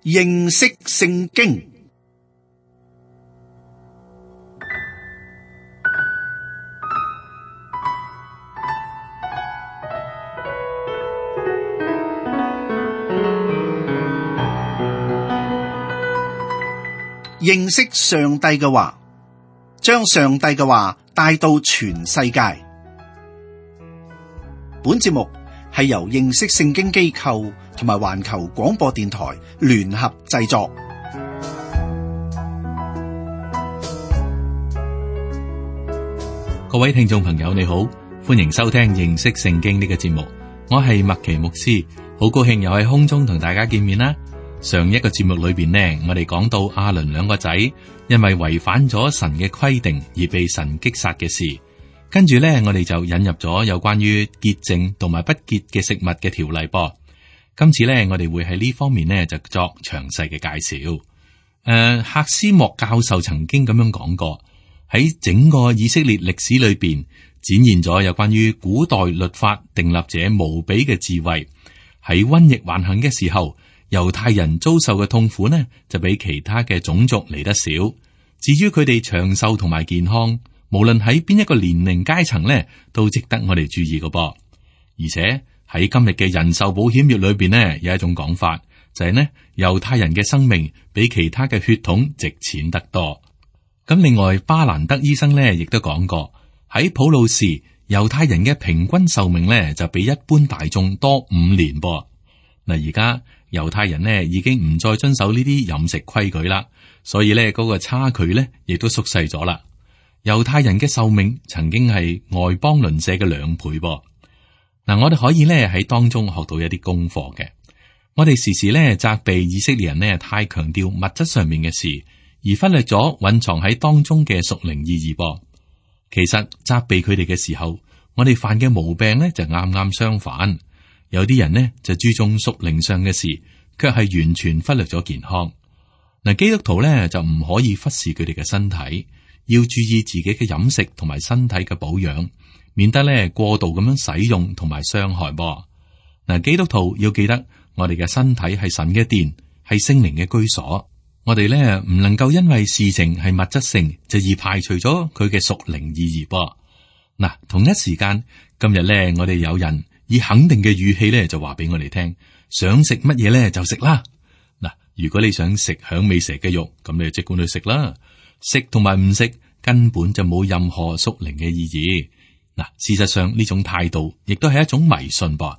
認識聖經。認識上帝嘅話，將上帝嘅話帶到全世界。本節目係由認識聖經機構同埋環球廣播電台聯合製作。各位聽眾朋友，你好，歡迎收聽認識聖經呢個節目。我係麥奇牧師，好高興又喺空中同大家見面啦。上一個節目裏邊呢，我哋講到亞倫兩個仔因為違反咗神嘅規定而被神擊殺嘅事，跟住呢，我哋就引入咗有關於潔淨同埋不潔嘅食物嘅條例噃。今次呢，我哋會喺呢方面呢就作詳細嘅介紹。赫斯莫教授曾經咁樣講過，喺整個以色列歷史裏邊展現咗有關於古代律法訂立者無比嘅智慧。喺瘟疫橫行嘅時候，猶太人遭受嘅痛苦呢，就比其他嘅種族嚟得少。至於佢哋長壽同埋健康，無論喺邊一個年齡階層呢，都值得我哋注意嘅噃。而且喺今日嘅人壽保險業裏邊呢，有一種講法，就係呢，猶太人嘅生命比其他嘅血統值錢得多。咁另外，巴蘭德醫生呢亦都講過，喺普魯士，猶太人嘅平均壽命呢就比一般大眾多5年噃。嗱，而家猶太人呢已經唔再遵守呢啲飲食規矩啦，所以呢嗰個差距呢亦都縮細咗啦。猶太人嘅壽命曾經係外邦鄰舍嘅2倍噃。嗱，我哋可以呢喺當中學到一啲功課嘅。我哋時時呢責備以色列人呢太強調物質上面嘅事，而忽略咗蘊藏喺當中嘅屬靈意義噃。其實責備佢哋嘅時候，我哋犯嘅毛病呢就啱啱相反。有啲人呢就注重屬靈上嘅事，卻係完全忽略咗健康。嗱，基督徒呢就唔可以忽視佢哋嘅身體，要注意自己嘅飲食同埋身體嘅保養，免得呢過度咁樣使用同埋傷害噃。嗱，基督徒要記得，我哋嘅身體係神嘅殿，係聖靈嘅居所。我哋呢唔能夠因為事情係物質性，就而排除咗佢嘅屬靈意義噃。嗱，同一時間，今日呢我哋有人以肯定嘅語氣咧，就話俾我哋聽，想食乜嘢咧就食啦。嗱，如果你想食響尾蛇嘅肉，咁你就即管去食啦。食同埋唔食根本就冇任何屬靈嘅意義。嗱，事實上呢種態度亦都係一種迷信噃。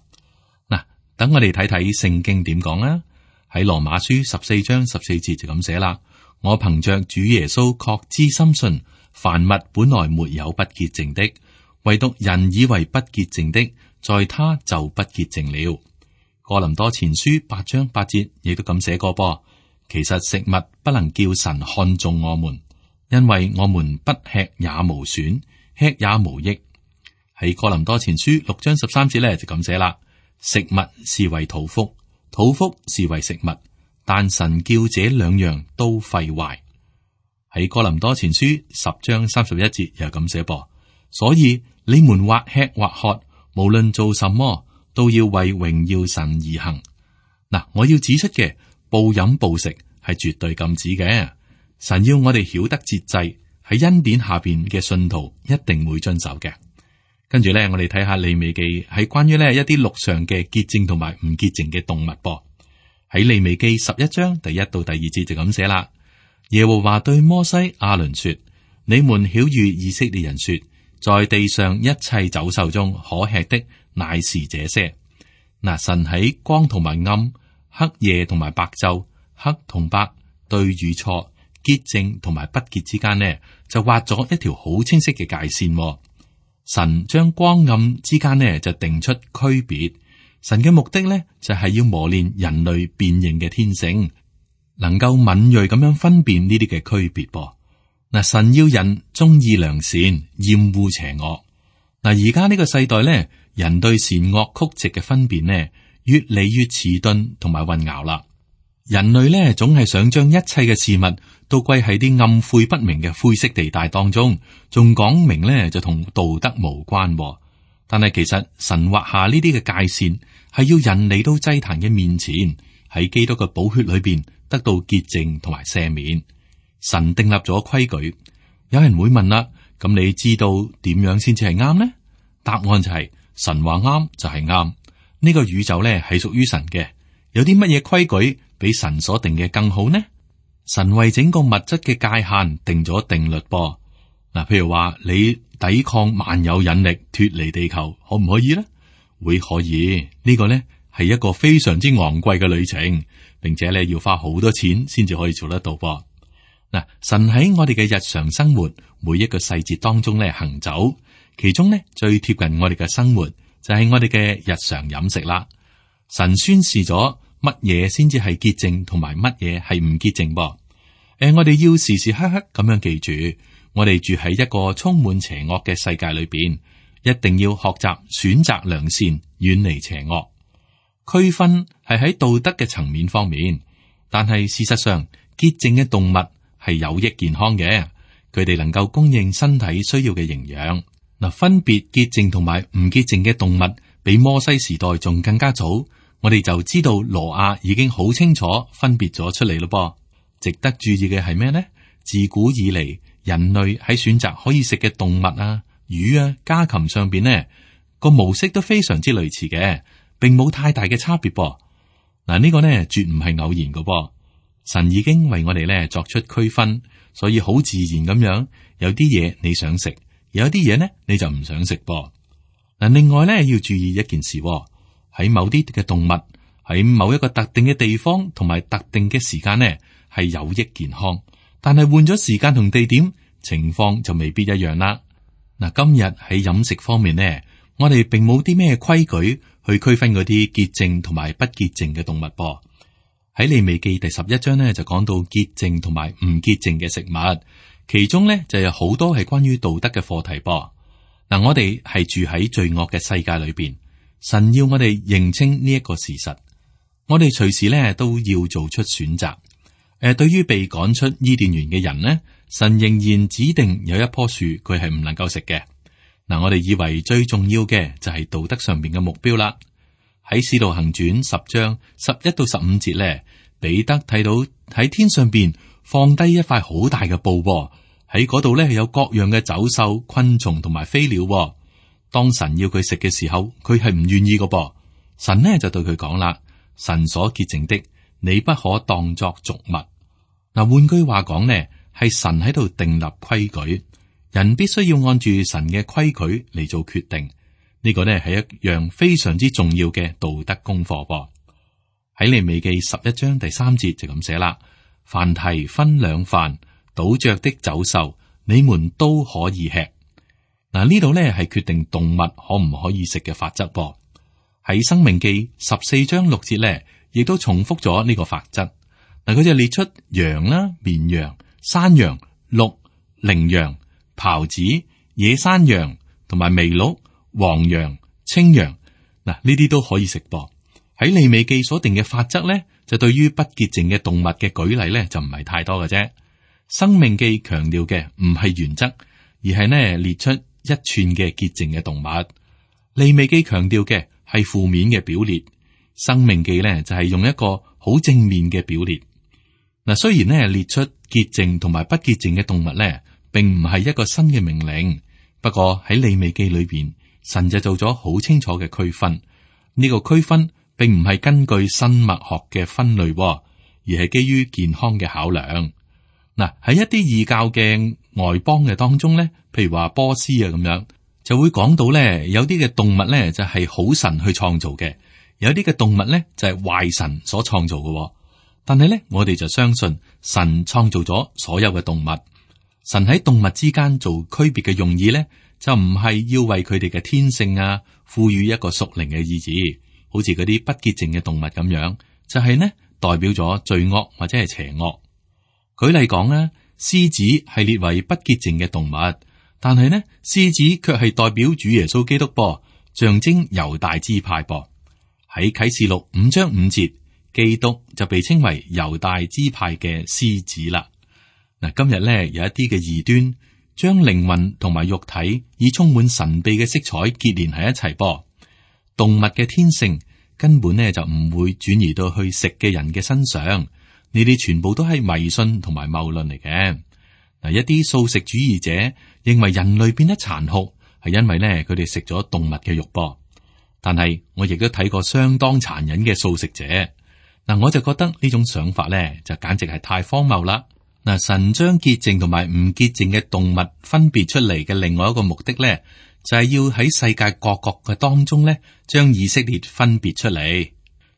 嗱，等我哋睇睇聖經點講啦。喺羅馬書14章14節就咁寫啦。我憑着主耶穌確知深信，凡物本來沒有不潔淨的，唯獨人以為不潔淨的，在他就不潔淨了。哥林多前書8章8節亦都咁寫過噃。其實食物不能叫神看中我們，因為我們不吃也無損，吃也無益。喺哥林多前書6章13節咧就咁寫啦。食物是為肚腹，肚腹是為食物，但神叫這2樣都廢壞。喺哥林多前書10章31節又咁寫噃。所以你們或吃或喝，無論做什麼，都要為榮耀神而行。嗱，我要指出嘅，暴飲暴食係絕對禁止嘅。神要我哋曉得節制，喺恩典下邊嘅信徒一定會遵守嘅。跟住咧，我哋睇下利未記係關於呢一啲陸上嘅潔淨同埋唔潔淨嘅動物噃。喺利未記11章第1到第2節就咁寫啦。耶和華對摩西亞倫說：你們曉諭以色列人說，在地上一切走獸中可吃的乃是這些。嗱，神喺光同埋暗、黑夜同埋白晝、黑同白、對與錯、潔淨同埋不潔之間呢，就畫咗一條好清晰嘅界線。神將光暗之間呢就定出區別。神嘅目的呢就係要磨練人類辨認嘅天性，能夠敏銳咁樣分辨呢啲嘅區別噃。嗱，神要人中意良善，厭惡邪惡。嗱，而家呢個世代咧，人對善惡曲直嘅分辨呢，越嚟越遲鈍同埋混淆啦。人類咧總係想將一切嘅事物都歸喺啲暗晦不明嘅灰色地帶當中，仲講明咧就同道德無關。但係其實神劃下呢啲嘅界線，係要人嚟到祭壇嘅面前，喺基督嘅寶血裏邊得到潔淨同埋赦免。神訂立咗規矩。有人會問啦，咁你知道點樣先至係啱呢？答案就係神話啱就係啱。呢個宇宙咧係屬於神嘅，有啲乜嘢規矩比神所定嘅更好呢？神為整個物質嘅界限定咗定律噃。嗱，譬如話你抵抗萬有引力脫離地球，可唔可以呢？會可以。呢個呢係一個非常之昂貴嘅旅程，並且咧要花好多錢先至可以做得到噃。嗱，神喺我哋嘅日常生活每一個細節當中咧行走，其中呢最貼近我哋嘅生活就係我哋嘅日常飲食啦。神宣示咗乜嘢先至係潔淨，同埋乜嘢係唔潔淨噃。我哋要時時刻刻咁樣記住，我哋住喺一個充滿邪惡嘅世界裏邊，一定要學習選擇良善，遠離邪惡。區分係喺道德嘅層面方面，但係事實上潔淨嘅動物係有益健康嘅，佢哋能夠供應身體需要嘅營養。嗱，分別潔淨同埋唔潔淨嘅動物，比摩西時代仲更加早，我哋就知道挪亞已經好清楚分別咗出嚟咯噃。值得注意嘅係咩呢？自古以嚟，人類喺選擇可以食嘅動物啊、魚啊、家禽上邊呢個模式都非常之類似嘅，並冇太大嘅差別噃。嗱，呢個呢絕唔係偶然嘅噃。神已經為我哋咧作出區分，所以好自然咁樣，有啲嘢你想食，有啲嘢呢你就唔想食噃。嗱，另外咧要注意一件事，喺某啲嘅動物喺某一個特定嘅地方同埋特定嘅時間呢係有益健康，但係換咗時間同地點，情況就未必一樣啦。嗱，今日喺飲食方面呢，我哋並冇啲咩規矩去區分嗰啲潔淨同埋不潔淨嘅動物噃。喺利未記第11章呢，就講到潔淨同埋唔潔淨嘅食物，其中呢就有好多係關於道德嘅課題噃。嗱，我哋係住喺罪惡嘅世界裏邊，神要我哋認清呢一個事實，我哋隨時呢都要做出選擇。對於被趕出伊甸園嘅人呢，神仍然指定有一棵樹佢係唔能夠食嘅。嗱，我哋以為最重要嘅就係道德上面嘅目標啦。喺使徒行傳10章11到15節咧，彼得睇到喺天上邊放低一塊好大嘅布，喺嗰度咧有各樣嘅走獸、昆蟲同埋飛鳥。當神要佢食嘅時候，佢係唔願意嘅噃。神呢就對佢講啦：神所潔淨的，你不可當作俗物。嗱，換句話講呢，係神喺度訂立規矩，人必須要按住神嘅規矩嚟做決定。呢個呢係一樣非常之重要嘅道德功課噃。喺利未記11章第3節就咁寫啦：凡蹄分兩瓣倒着的走獸，你們都可以吃。嗱，呢度呢係決定動物可唔可以食嘅法則噃。喺申命記14章6節呢，亦都重複咗呢個法則。嗱，佢就列出羊啦、綿羊、山羊、鹿、羚羊、狍子、野山羊同埋麋鹿、黃羊、青羊，嗱，呢啲都可以食噃。喺利未記所定嘅法則咧，就對於不潔淨嘅動物嘅舉例咧，就唔係太多嘅啫。申命記強調嘅唔係原則，而係呢列出一串嘅潔淨嘅動物。利未記強調嘅係負面嘅表列，申命記咧就係用一個好正面嘅表列。嗱，雖然呢列出潔淨同埋不潔淨嘅動物咧，並唔係一個新嘅命令，不過喺利未記裏邊，神就做咗好清楚嘅區分。呢個區分並唔係根據生物學嘅分類，而係基於健康嘅考量。嗱，喺一啲異教嘅外邦嘅當中咧，譬如話波斯啊咁樣，就會講到咧，有啲嘅動物咧就係好神去創造嘅，有啲嘅動物咧就係壞神所創造嘅。但係咧，我哋就相信神創造咗所有嘅動物。神喺動物之間做區別嘅用意咧，就唔係要為佢哋嘅天性啊賦予一個屬靈嘅意義，好似嗰啲不潔淨嘅動物咁樣，就係呢代表咗罪惡或者係邪惡。舉例講咧，獅子係列為不潔淨嘅動物，但係呢獅子卻係代表主耶穌基督噃，象徵猶大支派噃。喺啟示錄5章5節。基督就被稱為猶大支派嘅獅子啦。嗱，今日咧有一啲嘅異端，將靈魂同埋肉體以充滿神秘嘅色彩結連喺一齊噃。動物嘅天性根本呢就唔會轉移到去食嘅人嘅身上。呢啲全部都係迷信同埋謬論嚟嘅。嗱，一啲素食主義者認為人類變得殘酷係因為呢佢哋食咗動物嘅肉噃。但係我亦都睇過相當殘忍嘅素食者。嗱，我就覺得呢種想法呢就簡直係太荒謬啦。嗱，神將潔淨同埋唔潔淨嘅動物分別出嚟嘅另外一個目的呢，就係要喺世界各國嘅當中呢，將以色列分別出嚟。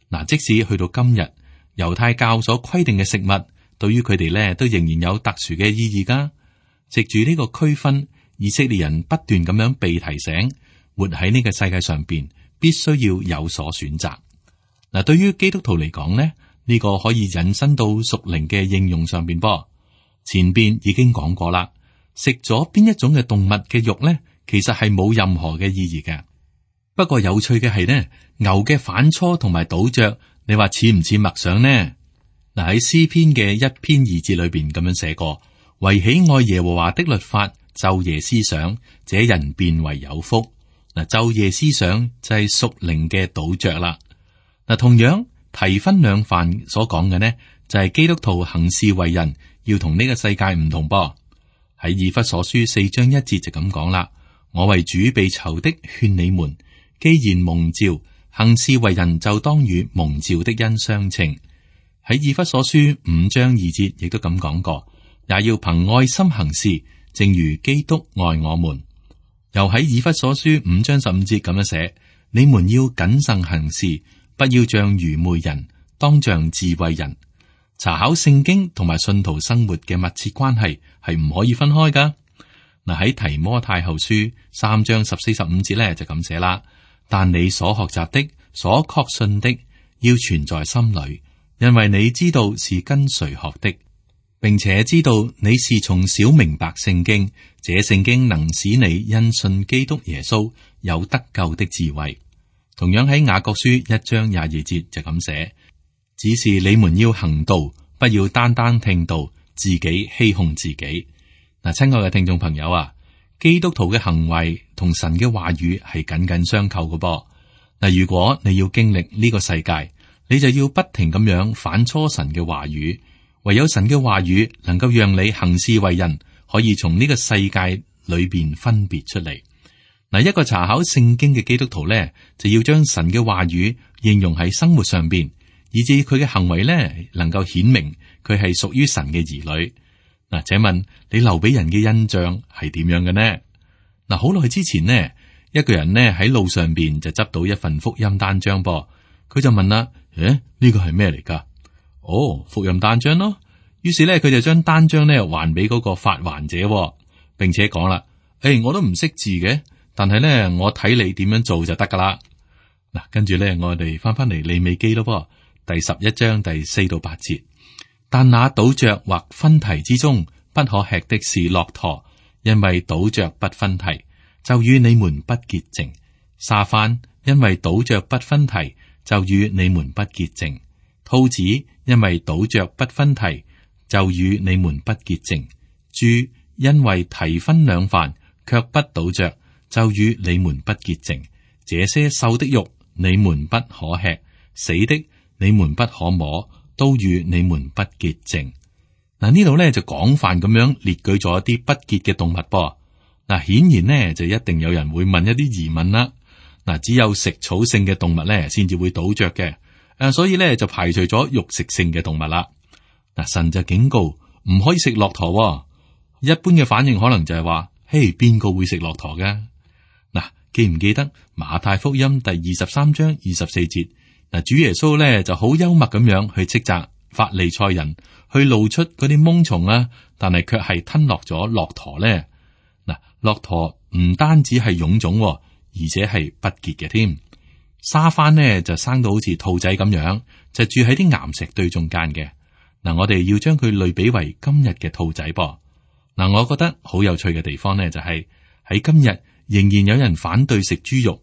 嗱，即使去到今日，猶太教所規定嘅食物，對於佢哋呢都仍然有特殊嘅意義噶。藉住呢個區分，以色列人不斷咁樣被提醒，活喺呢個世界上邊，必須要有所選擇。嗱，對於基督徒嚟講呢，呢個可以引申到屬靈嘅應用上邊噃。前邊已經講過啦，食咗邊一種嘅動物嘅肉呢，其實係冇任何嘅意義嘅。不過有趣嘅係呢，牛嘅反芻同埋倒嚼，你話似唔似默想呢？嗱，喺詩篇嘅1篇2節裏邊咁樣寫過，惟喜愛耶和華的律法，晝夜思想，這人便為有福。嗱，晝夜思想就係屬靈嘅倒嚼啦。嗱，同樣提分兩飯所講嘅呢，就係基督徒行事為人要同呢個世界唔同噃。喺以弗所書4章1節就咁講啦，我為主被囚的勸你們，既然蒙召，行事為人就當與蒙召的恩相稱。喺以弗所書5章2節亦都咁講過，也要憑愛心行事，正如基督愛我們。又喺以弗所書5章15節咁樣寫，你們要謹慎行事，不要像愚昧人，當像智慧人。查考聖經同埋信徒生活嘅密切關係係唔可以分開噶。嗱，喺提摩太後書3章14、15節咧就咁寫啦。但你所學習的、所確信的，要存在心裏，因為你知道是跟誰學的，並且知道你是從小明白聖經。這聖經能使你因信基督耶穌有得救的智慧。同樣喺雅各書1章22節就咁寫。只是你們要行道，不要單單聽道，自己欺哄自己。嗱，親愛嘅聽眾朋友啊，基督徒嘅行為同神嘅話語係緊緊相扣嘅噃。嗱，如果你要經歷呢個世界，你就要不停咁樣反芻神嘅話語。唯有神嘅話語能夠讓你行事為人，可以從呢個世界裏邊分別出嚟。嗱，一個查考聖經嘅基督徒咧，就要將神嘅話語應用喺生活上邊。以至佢嘅行為咧，能夠顯明佢係屬於神嘅兒女。嗱，請問你留俾人嘅印象係點樣嘅呢？嗱，好耐之前呢，一個人呢喺路上邊就執到一份福音單張噃，佢就問啦：呢個係咩嚟噶？哦，福音單張咯。於是咧，佢就將單張咧還俾嗰個發還者，並且講啦：我都唔識字嘅，但係咧我睇你點樣做就得噶啦。嗱，跟住咧我哋翻嚟利未記咯噃。第11章第4到8節，但那倒嚼或分蹄之中不可吃的是駱駝，因為倒嚼不分蹄，就與你們不潔淨。沙番，因為倒嚼不分蹄，就與你們不潔淨。兔子，因為倒嚼不分蹄，就與你們不潔淨。豬，因為蹄分兩飯，卻不倒嚼，就與你們不潔淨。這些獸的肉，你們不可吃，死的，你們不可摸，都與你們不潔淨。嗱，呢度咧就廣泛咁樣列舉咗一啲不潔嘅動物噃。嗱，顯然呢就一定有人會問一啲疑問啦。嗱，只有食草性嘅動物咧先至會倒嚼嘅，所以咧就排除咗肉食性嘅動物啦。嗱，神就警告唔可以食駱駝。一般嘅反應可能就係話：嘿，邊個會食駱駝㗎？嗱，記唔記得馬太福音第23章24節？嗱，主耶穌咧就好幽默咁樣去斥責法利賽人，去露出嗰啲蠓蟲啊，但係卻係吞落咗駱駝咧。嗱，駱駝唔單止係臃腫，而且係不潔嘅添。沙番呢就生到好似兔仔咁樣，就住喺啲岩石堆中間嘅。嗱，我哋要將佢類比為今日嘅兔仔噃。嗱，我覺得好有趣嘅地方呢，就係喺今日仍然有人反對食豬肉。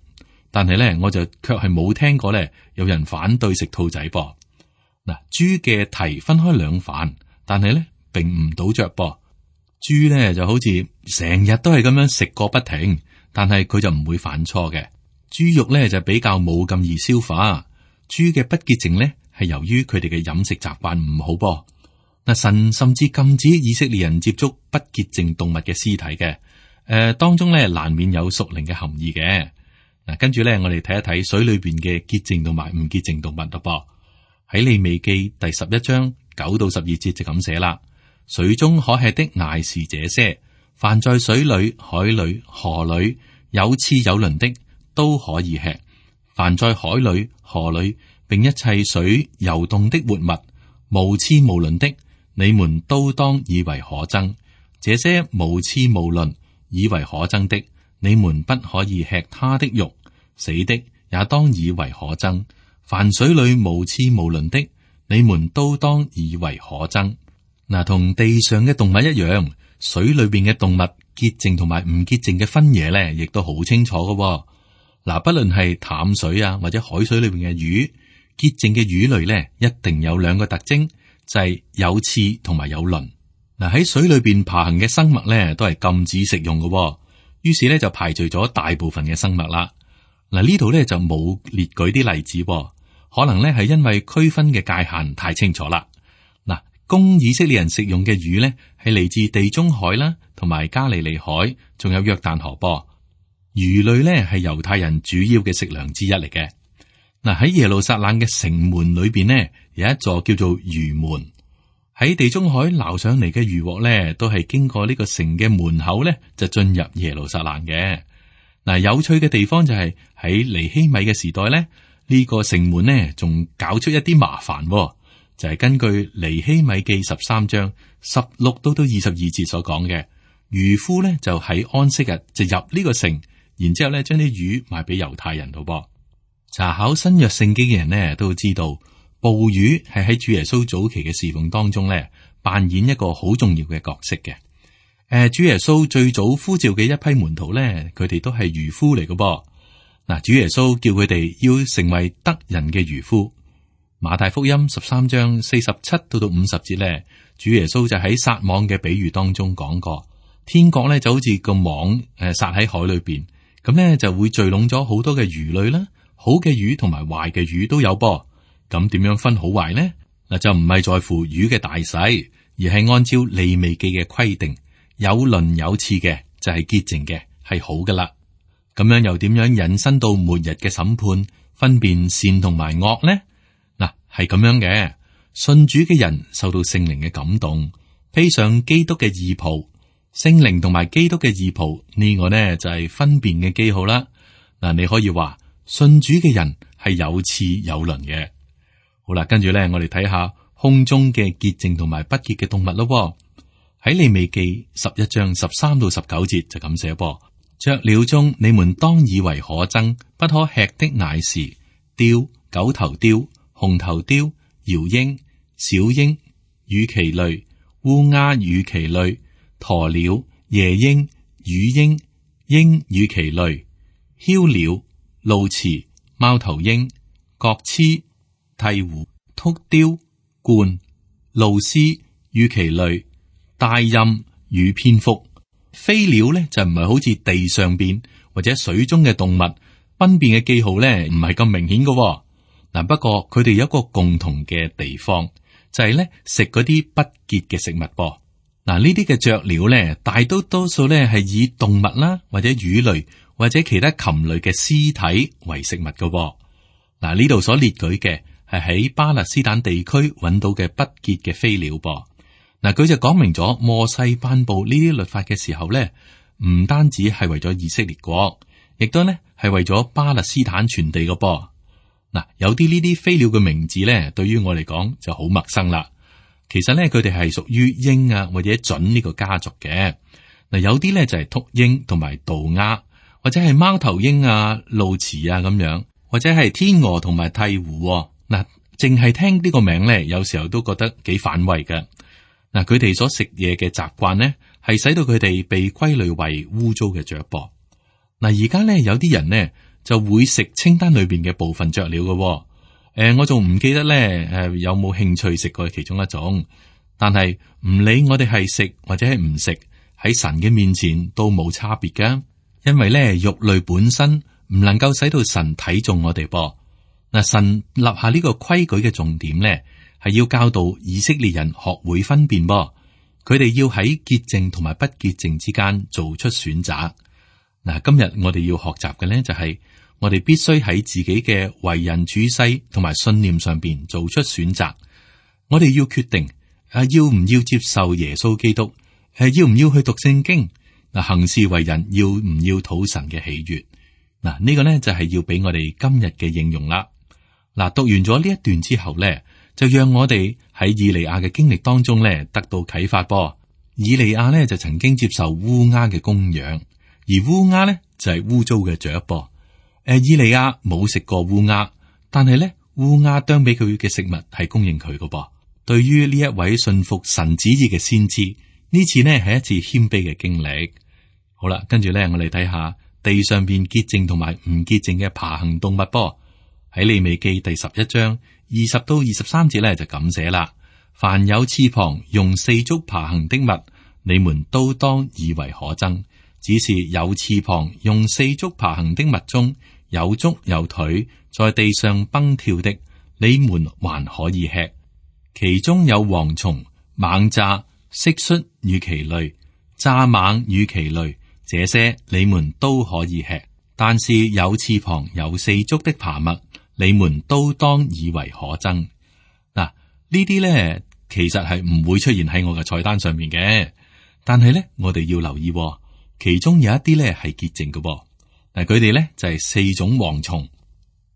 但係咧，我就卻係冇聽過咧，有人反對食兔仔噃。嗱，豬嘅蹄分開兩飯，但係咧並唔倒嚼噃。豬咧就好似成日都係咁樣食個不停，但係佢就唔會反芻嘅。豬肉咧就比較冇咁易消化，豬嘅不潔淨咧係由於佢哋嘅飲食習慣唔好噃。嗱，神甚至禁止以色列人接觸不潔淨動物嘅屍體嘅。當中咧難免有屬靈嘅含義嘅。嗱，跟住咧我哋睇一睇水裏邊嘅潔淨同埋唔潔淨動物咯噃。喺利未記第11章9到12節就咁寫啦。水中可吃的乃是這些，凡在水裏、海裏、河裏有翅有鱗的都可以吃。凡在海裏、河裏並一切水游動的活物，無翅無鱗的，你們都當以為可憎。這些無翅無鱗以為可憎的，你們不可以吃它的肉。死的也當以為可憎。凡水裏無翅無鱗的，你們都當以為可憎。嗱，同地上嘅動物一樣，水裏邊嘅動物潔淨同埋唔潔淨嘅分野咧，亦都好清楚嘅。嗱，不論係淡水啊，或者海水裏邊嘅魚，潔淨嘅魚類咧，一定有兩個特徵，就係有翅同埋有鱗。嗱，喺水裏邊爬行嘅生物咧，都係禁止食用嘅。於是咧就排除咗大部分嘅生物啦。嗱，呢度咧就冇列舉啲例子，可能咧係因為區分嘅界限太清楚啦。嗱，供以色列人食用嘅魚咧，係嚟自地中海啦，同埋加利利海，仲有約旦河噃。魚類咧係猶太人主要嘅食糧之一嚟嘅。嗱，喺耶路撒冷嘅城門裏邊呢，有一座叫做魚門。喺地中海撈上嚟嘅魚獲咧，都係經過呢個城嘅門口咧，就進入耶路撒冷嘅。嗱，有趣嘅地方就係喺尼希米嘅時代咧，呢個城門呢仲搞出一啲麻煩，就係根據尼希米記13章16到22節所講嘅，漁夫咧就喺安息日就入呢個城，然之後咧將啲魚賣俾猶太人度噃。查考新約聖經嘅人呢都知道，捕魚係喺主耶穌早期嘅侍奉當中咧扮演一個好重要嘅角色嘅。主耶穌最早呼召嘅一批門徒咧，佢哋都係漁夫嚟嘅噃。嗱，主耶穌叫佢哋要成為得人嘅漁夫。馬太福音13章47到50節咧，主耶穌就喺撒網嘅比喻當中講過，天國咧就好似個網撒喺海裏邊，咁咧就會聚攏咗好多嘅魚類啦，好嘅魚同埋壞嘅魚都有噃。咁點樣分好壞呢？嗱，就唔係在乎魚嘅大細，而係按照利未記嘅規定。有鱗有翅嘅就係潔淨嘅，係好噶啦。咁樣又點樣引申到末日嘅審判，分辨善同埋惡呢？嗱，係咁樣嘅。信主嘅人受到聖靈嘅感動，披上基督嘅義袍，聖靈同埋基督嘅義袍呢個呢就係分辨嘅記號啦。嗱，你可以話信主嘅人係有翅有鱗嘅。好啦，跟住咧，我哋睇下空中嘅潔淨同埋不潔嘅動物咯。喺利未記11章13到19節就咁寫噃，雀鳥中你們當以為可憎，不可吃的乃是雕、九頭雕、紅頭雕、鷂鷹、小鷹、羽鶥類、烏鴉羽鶥類、鴕鳥、夜鷹、乳鷹、鷹羽鶥類、梟鳥、鸕鶿、貓頭鷹、角鴟、鵜鶘、禿雕、鸛、鷺鷥、羽鶥類、大雁與蝙蝠。飛鳥咧就唔係好似地上邊或者水中嘅動物，分辨嘅記號咧唔係咁明顯嘅。嗱，不過佢哋有一個共同嘅地方，就係咧食嗰啲不潔嘅食物噃。嗱，呢啲嘅雀鳥咧，大多數咧係以動物啦或者魚類或者其他禽類嘅屍體為食物嘅。嗱，呢度所列舉嘅係喺巴勒斯坦地區揾到嘅不潔嘅飛鳥噃。嗱，佢就講明咗摩西頒布呢啲律法嘅時候咧，唔單止係為咗以色列國，亦都咧係為咗巴勒斯坦全地嘅噃。嗱，有啲呢啲飛鳥嘅名字咧，對於我嚟講就好陌生啦。其實咧，佢哋係屬於鷹啊或者隼呢個家族嘅。嗱，有啲咧就係禿鷹同埋渡鴉，或者係貓頭鷹啊、鸕鶿啊咁樣，或者係天鵝同埋鵜鶘。嗱，淨係聽呢個名咧，有時候都覺得幾反胃嘅。嗱，佢哋所食嘢嘅習慣呢，係使到佢哋被歸類為污糟嘅雀噃。嗱，而家咧有啲人呢就會食清單裏邊嘅部分雀鳥嘅。我仲唔記得咧有冇興趣食過其中一種，但係唔理我哋係食或者係唔食，喺神嘅面前都冇差別噶。因為咧肉類本身唔能夠使到神睇中我哋噃。嗱，神立下呢個規矩嘅重點咧，係要教導以色列人學會分辨噃，佢哋要喺潔淨同埋不潔淨之間做出選擇。嗱，今日我哋要學習嘅咧就係我哋必須喺自己嘅為人處世同埋信念上邊做出選擇。我哋要決定要唔要接受耶穌基督，要唔要去讀聖經，嗱，行事為人要唔要討神嘅喜悅。嗱，呢個咧就係要俾我哋今日嘅應用啦。嗱，讀完咗呢一段之後咧，就讓我哋喺以利亞嘅經歷當中咧得到啟發噃。以利亞咧就曾經接受烏鴉嘅供養，而烏鴉咧就係污糟嘅雀噃。以利亞冇食過烏鴉，但係咧烏鴉啄俾佢嘅食物係供應佢嘅噃。對於呢一位信服神旨意嘅先知，呢次呢係一次謙卑嘅經歷。好啦，跟住咧我哋睇下地上邊潔淨同埋唔潔淨嘅爬行動物噃。喺利未記第11章20到23節咧就咁寫啦：凡有翅膀用四足爬行的物，你們都當以為可憎；只是有翅膀用四足爬行的物中有足有腿，在地上蹦跳的，你們還可以吃。其中有蝗蟲、螞蚱、蟋蟀與其類、蚱蜢與其類，這些你們都可以吃。但是有翅膀有四足的爬物，你們都當以為可憎。嗱，呢啲咧其實係唔會出現喺我嘅菜單上面嘅，但係咧我哋要留意，其中有一啲咧係潔淨嘅。嗱，佢哋咧就係四種蝗蟲。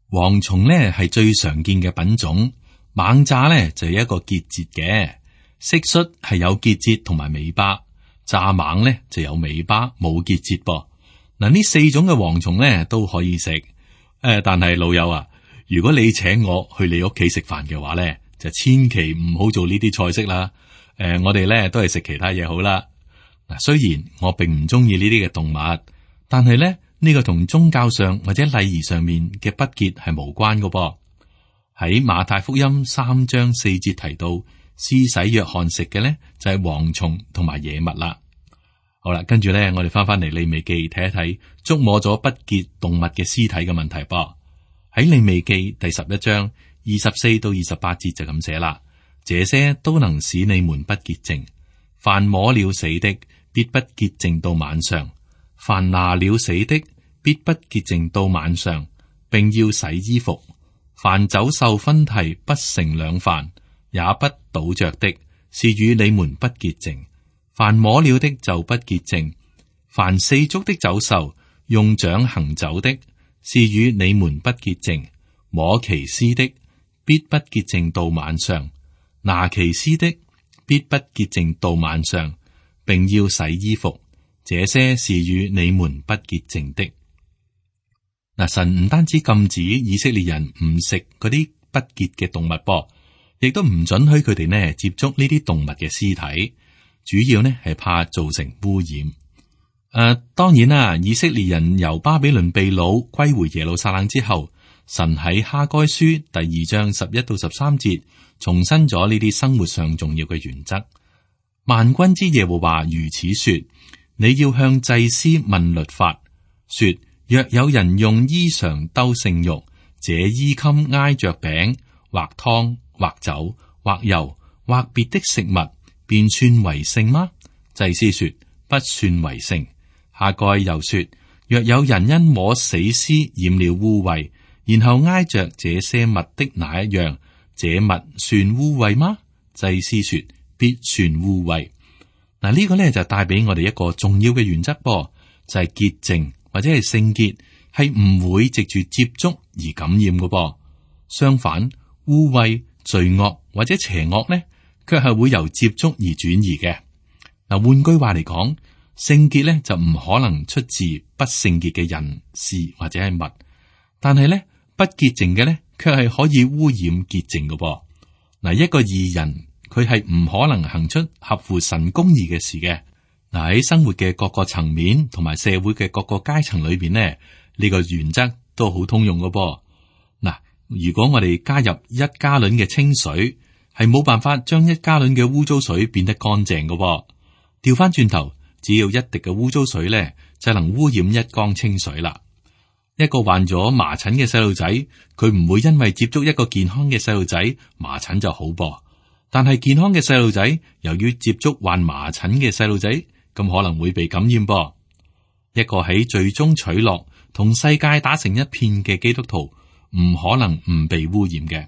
蝗蟲咧係最常見嘅品種，螞蚱咧就係一個結節嘅，蟋蟀係有結節同埋尾巴，蚱蜢咧就有尾巴冇結節噃。嗱，呢四種嘅蝗蟲咧都可以食，但係老友啊，如果你請我去你屋企食飯嘅話咧，就千祈唔好做呢啲菜式啦。我哋咧都係食其他嘢好啦。嗱，雖然我並唔中意呢啲嘅動物，但係咧呢個同宗教上或者禮儀上面嘅不潔係無關㗎噃。喺馬太福音3章4節提到，施洗約翰食嘅咧就係蝗蟲同埋野物啦。好啦，跟住咧我哋翻嚟利未記睇一睇觸摸咗不潔動物嘅屍體嘅問題噃。喺利未記第11章24到28節就咁寫啦：這些都能使你們不潔淨。凡摸了死的，必不潔淨到晚上；凡拿了死的，必不潔淨到晚上，並要洗衣服。凡走獸分蹄不成兩瓣，也不倒着的，是與你們不潔淨。凡摸了的就不潔淨。凡四足的走獸用掌行走的，是與你們不潔淨。摸其屍的，必不潔淨到晚上；拿其屍的，必不潔淨到晚上，並要洗衣服。這些是與你們不潔淨的。嗱，神唔單止禁止以色列人唔食嗰啲不潔嘅動物噃，亦都唔准許佢哋呢接觸呢啲動物嘅屍體，主要呢係怕造成污染。當然啦，以色列人由巴比倫被擄歸回耶路撒冷之後，神喺哈該書第2章11到13節重申咗呢啲生活上重要嘅原則。萬軍之耶和華如此說：你要向祭司問律法，說若有人用衣裳兜聖肉，這衣襟挨着餅或湯或酒或油或別的食物，便算為聖嗎？祭司說不算為聖。哈該又說：若有人因摸死屍染了污穢，然後挨着這些物的哪一樣，這物算污穢嗎？祭司說必算污穢。嗱，呢個咧就帶俾我哋一個重要嘅原則噃，就係潔淨或者係聖潔係唔會藉住接觸而感染嘅噃。相反，污穢、罪惡或者邪惡咧，卻係會由接觸而轉移嘅。嗱，換句話嚟講，聖潔咧就唔可能出自不聖潔嘅人事或者係物，但係咧不潔淨嘅咧，卻係可以污染潔淨嘅噃。嗱，一個義人佢係唔可能行出合乎神公義嘅事嘅。嗱，喺生活嘅各個層面同埋社會嘅各個階層裏邊呢，呢個原則都好通用嘅噃。嗱，如果我哋加入1加侖嘅清水，係冇辦法將1加侖嘅污糟水變得乾淨嘅噃。調翻轉頭，只要一滴嘅污糟水咧，就能污染1缸清水啦。一個患咗麻疹嘅細路仔，佢唔會因為接觸一個健康嘅細路仔，麻疹就好噃。但係健康嘅細路仔，由於接觸患麻疹嘅細路仔，咁可能會被感染噃。一個喺罪中取樂，同世界打成一片嘅基督徒，唔可能唔被污染嘅。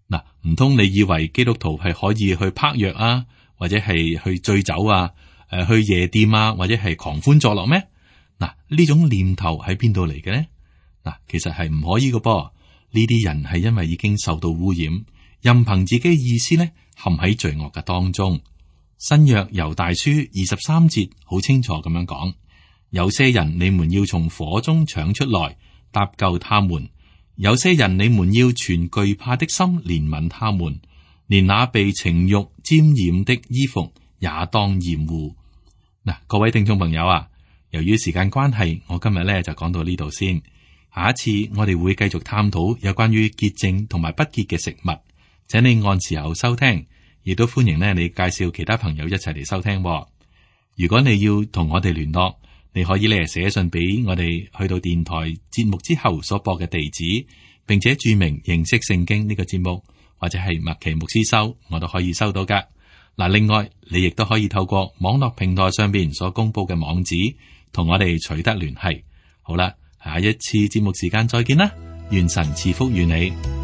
嗱，唔通你以為基督徒係可以去拍藥啊，或者係去醉酒啊，去夜店啊，或者係狂歡作樂咩？嗱，呢種念頭喺邊度嚟嘅呢？嗱，其實係唔可以嘅噃。呢啲人係因為已經受到污染，任憑自己意思咧，陷喺罪惡嘅當中。新約猶大書23節好清楚咁樣講：有些人你們要從火中搶出來，搭救他們；有些人你們要存懼怕的心憐憫他們，連那被情欲沾染的衣服也當厭惡。嗱，各位聽眾朋友啊，由於時間關係，我今日咧就講到呢度先。下一次我哋會繼續探討有關於潔淨同埋不潔嘅食物，請你按時候收聽，亦都歡迎咧你介紹其他朋友一齊嚟收聽。如果你要同我哋聯絡，你可以咧寫信俾我哋，去到電台節目之後所播嘅地址，並且注明認識聖經呢個節目，或者係麥奇牧師收，我都可以收到噶。嗱，另外你亦都可以透過網絡平台上邊所公布嘅網址，同我哋取得聯繫。好啦，下一次節目時間再見啦，願神賜福與你。